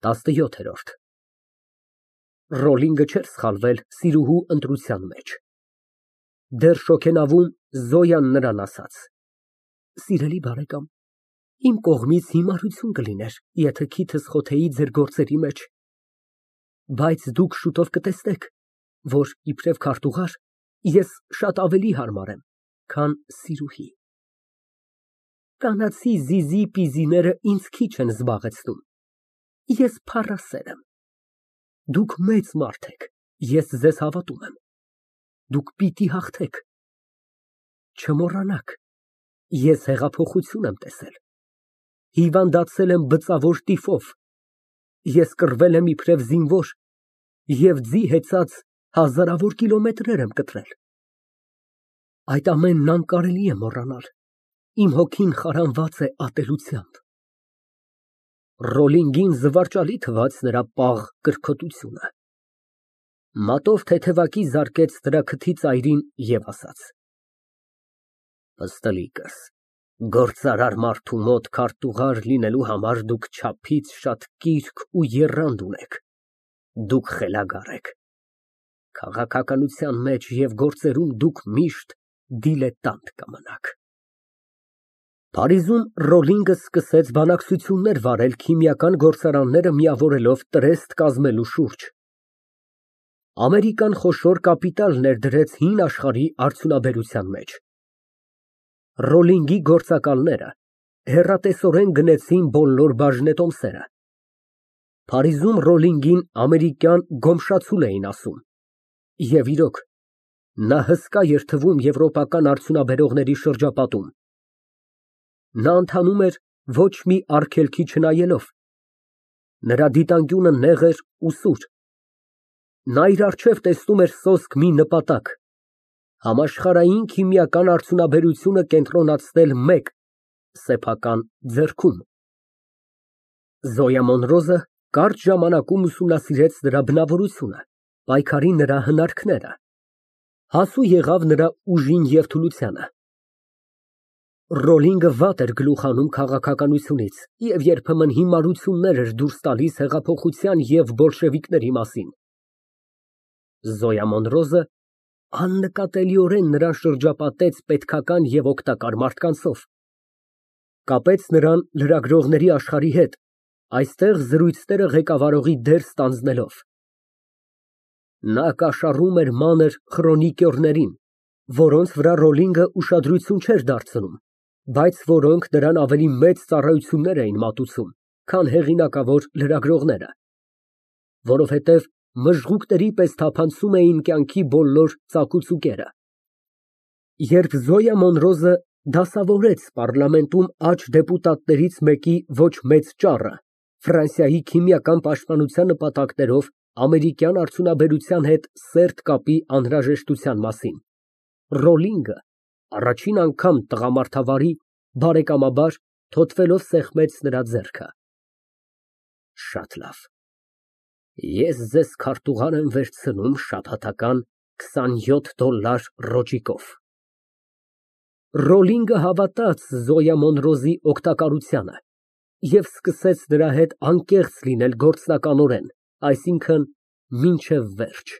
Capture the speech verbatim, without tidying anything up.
տասնյոթ։ Ռոլլինգը չէր սխալվել սիրուհու ընտրության մեջ։ Դեռ շոգենավում, Զոյան նրան ասաց. «Սիրելի բարեկամ, իմ կողմից հիմարություն կլիներ, եթե քիթս խոթեի ձեր գործերի մեջ, բայց դուք շուտով կտեսնեք, որ իբրև քարտուղար ես շատ ավելի հարմար եմ, քան սիրուհի։ Կանացի զիզի֊պիզիները ինձ քիչ են զբաղեցնում, ես փառասեր եմ։ Դուք մեծ մարդ եք, ես ձեզ հավատում եմ, դուք պիտի հաղթեք։ Չմոռանաք, ես հեղափոխություն եմ տեսել, հիվանդացել եմ բծավոր տիֆով, ես կռվել եմ իբրև զինվոր և ձի հեծած հազարավոր կիլոմետրեր եմ կտրել։ Այդ ամենն անկարելի է մոռանալ, իմ հոգին խարանված է ատելությամբ։ Ռոլլինգին զվարճալի թվաց նրա պաղ կրքոտությունը, մատով թեթևակի զարկեց նրա քթի ծայրին և ասաց. Պստլիկս, գործարար մարդու մոտ քարտուղար լինելու համար դուք չափից շատ կիրք ու եռանդ ունեք, դուք խելագար եք, քաղաքականության մեջ և գործերում դուք միշտ դիլետանտ կմնաք։ Փարիզում Ռոլլինգը սկսեց բանակցություններ վարել քիմիական գործարանները միավորելով տրեստ կազմելու շուրջ։ Ամերիկան խոշոր կապիտալ ներդրեց հին աշխարհի արդյունաբերության մեջ։ Ռոլլինգի գործակալները հեռատեսորեն գնեցին բոլոր բաժնետոմսերը։ Փարիզում Ռոլլինգին ամերիկյան գոմշացուլ էին ասում, և իրոք, նա հսկա էր թվում եվրոպական արդյունաբերողների շրջապատում։ Նա ընթանում էր ոչ մի արգելքի չնայելով, նրա դիտանկյունը նեղ էր ու սուր, նա իր առջև տեսնում էր սոսկ մի նպատակ՝ համաշխարհային քիմիական արդյունաբերությունը կենտրոնացնել մեկ սեփական ձեռքում։ Զոյա Մոնրոզը կարճ ժամանակում ուսումնասիրեց նրա բնավորությունը, պայքարի նրա հնարքները, հասու եղավ նրա ուժին և թուլությանը։ Ռոլլինգը վատ էր գլուխ հանում քաղաքականությունից և երբեմն հիմարություններ էր դուրս տալիս հեղափոխության և բոլշևիկների մասին։ Զոյա Մոնրոզը աննկատելիորեն նրան շրջապատեց պետքական և օգտակար մարդկանցով, կապեց նրան լրագրողների աշխարհի հետ, այստեղ զրույցները ղեկավարողի դեր ստանձնելով։ Նա կաշառում էր մանր խրոնիկյորներին, որոնց վրա Ռոլլինգը ուշադրություն չէր դարձնում, բայց որոնք նրան ավելի մեծ ծառայություններ էին մատուցում, քան հեղինակավոր լրագրողները, որովհետև մժղուկների պես թափանցում էին կյանքի բոլոր ծակուծուկերը։ Երբ Զոյա Մոնրոզը դասավորեց պառլամենտում աջ դեպուտատներից մեկի ոչ մեծ ճառը Ֆրանսիայի քիմիական պաշտպանության նպատակներով ամերիկյան արդյունաբերության հետ սերտ կապի անհրաժեշտության մասին, Ռոլլինգը առաջին անգամ տղամարդավարի, բարեկամաբար թոթվելով սեղմեց նրա ձեռքը։ Շատ լավ, ես ձեզ քարտուղար եմ վերցնում շաբաթական քսանյոթ դոլար ռոճիկով։ Ռոլլինգը հավատաց Զոյա Մոնրոզի օգտակարությանը և սկսեց նրա հետ անկեղծ լինել գործնականորեն, այսինքն՝ մինչև վերջ։